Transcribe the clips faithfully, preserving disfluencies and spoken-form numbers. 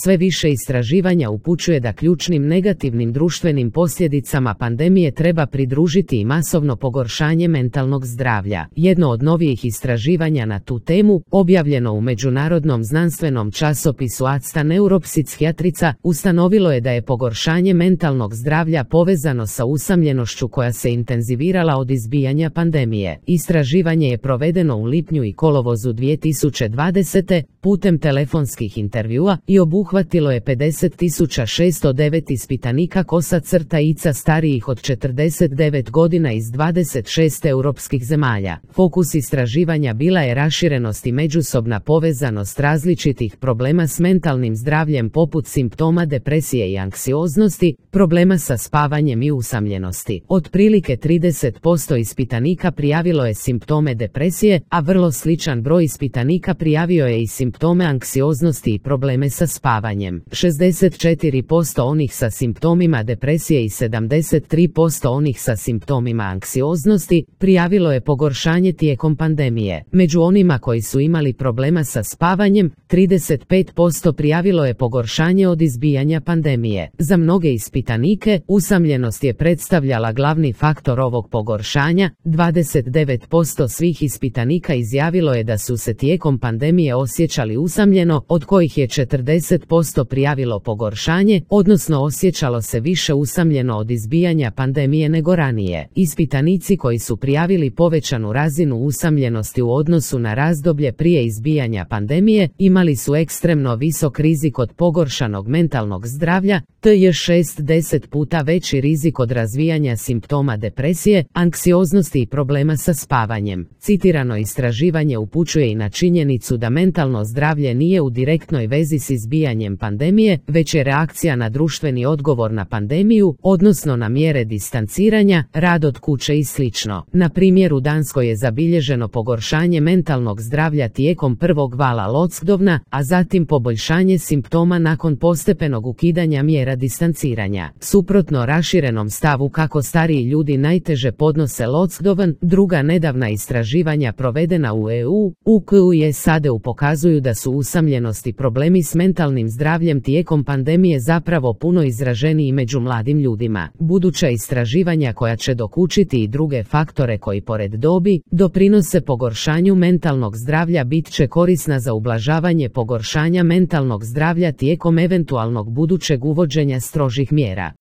sve više istraživanja upućuje da ključnim negativnim društvenim posljedicama pandemije treba pridružiti i masovno pogoršanje mentalnog zdravlja. Jedno od novijih istraživanja na tu temu, objavljeno u međunarodnom znanstvenom časopisu Acta Neuropsihijatrica, ustanovilo je da je pogoršanje mentalnog zdravlja povezano sa usamljenošću koja se intenzivirala od izbijanja pandemije. Istraživanje je provedeno u lipnju i kolovozu dvije tisuće dvadesete putem telefonskih intervjua i obuhvatilo je pedeset tisuća šesto devet ispitanika kosa crta ica starijih od četrdeset devet godina iz dvadeset šest europskih zemalja. Fokus istraživanja bila je raširenost i međusobna povezanost različitih problema s mentalnim zdravljem poput simptoma depresije i anksioznosti, problema sa spavanjem i usamljenosti. Otprilike trideset posto ispitanika prijavilo je simptome depresije, a vrlo sličan broj ispitanika prijavio je i simptome anksioznosti i probleme sa spavanjem. šezdeset četiri posto onih sa simptomima depresije i sedamdeset tri posto onih sa simptomima anksioznosti prijavilo je pogoršanje tijekom pandemije. Među onima koji su imali problema sa spavanjem, trideset pet posto prijavilo je pogoršanje od izbijanja pandemije. Za mnoge ispitanike, usamljenost je predstavljala glavni faktor ovog pogoršanja. dvadeset devet posto svih ispitanika izjavilo je da su se tijekom pandemije osjećali usamljeno, od kojih je četrdeset posto prijavilo pogoršanje, odnosno osjećalo se više usamljeno od izbijanja pandemije nego ranije. Ispitanici koji su prijavili povećanu razinu usamljenosti u odnosu na razdoblje prije izbijanja pandemije, imali su ekstremno visok rizik od pogoršanog mentalnog zdravlja, te je šest do deset puta veći rizik od razvijanja simptoma depresije, anksioznosti i problema sa spavanjem. Citirano istraživanje upućuje i na činjenicu da mentalno zdravlje nije u direktnoj vezi s izbijanjem pandemije, već je reakcija na društveni odgovor na pandemiju, odnosno na mjere distanciranja, rad od kuće i slično. Na primjer, u Danskoj je zabilježeno pogoršanje mentalnog zdravlja tijekom prvog vala lockdowna, a zatim poboljšanje simptoma nakon postepenog ukidanja mjera distanciranja. Suprotno raširenom stavu kako stariji ljudi najteže podnose lockdown, druga nedavna istraživanja provedena u E U, U K U i S A D pokazuju da su usamljenost i problemi s mentalnim zdravljem tijekom pandemije zapravo puno izraženiji među mladim ljudima. Buduća istraživanja koja će dokučiti i druge faktore koji pored dobi doprinose pogoršanju mentalnog zdravlja bit će korisna za ublažavanje pogoršanja mentalnog zdravlja tijekom eventualnog budućeg uvođenja strožih mjera.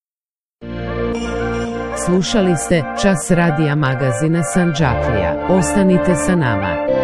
Slušali ste Čas radija magazina Sandžaklija. Ostanite sa nama.